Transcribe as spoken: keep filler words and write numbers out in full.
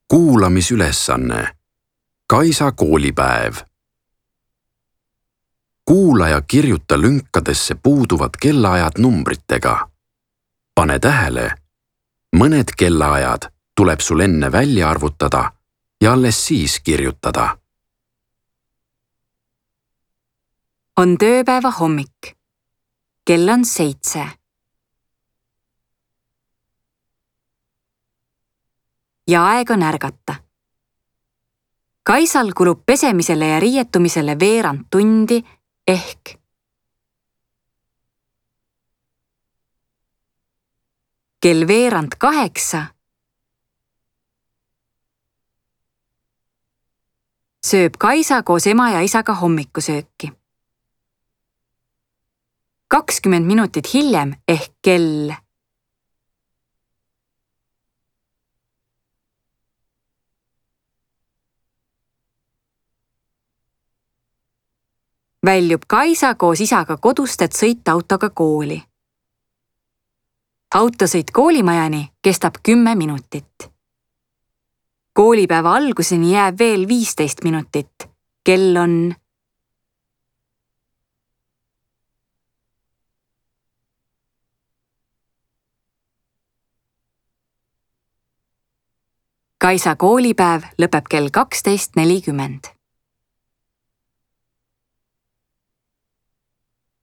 Kuulamisülesanne. Kaisa koolipäev. Kuula ja kirjuta lünkadesse puuduvad kellaajad numbritega. Pane tähele, mõned kellaajad tuleb sul enne välja arvutada ja alles siis kirjutada. On tööpäeva hommik. Kell on seitse. Ja aeg on ärgata. Kaisal kulub pesemisele ja riietumisele veerand tundi ehk kell veerand kaheksa sööb Kaisa koos ema ja isaga hommikusööki. kakskümmend minutit hiljem ehk kell väljub Kaisa koos isaga kodust, et sõita autoga kooli. Autosõit koolimajani kestab kümme minutit. Koolipäeva alguseni jääb veel viisteist minutit. Kell on Kaisa koolipäev lõpeb kell kaksteist nelikümmend.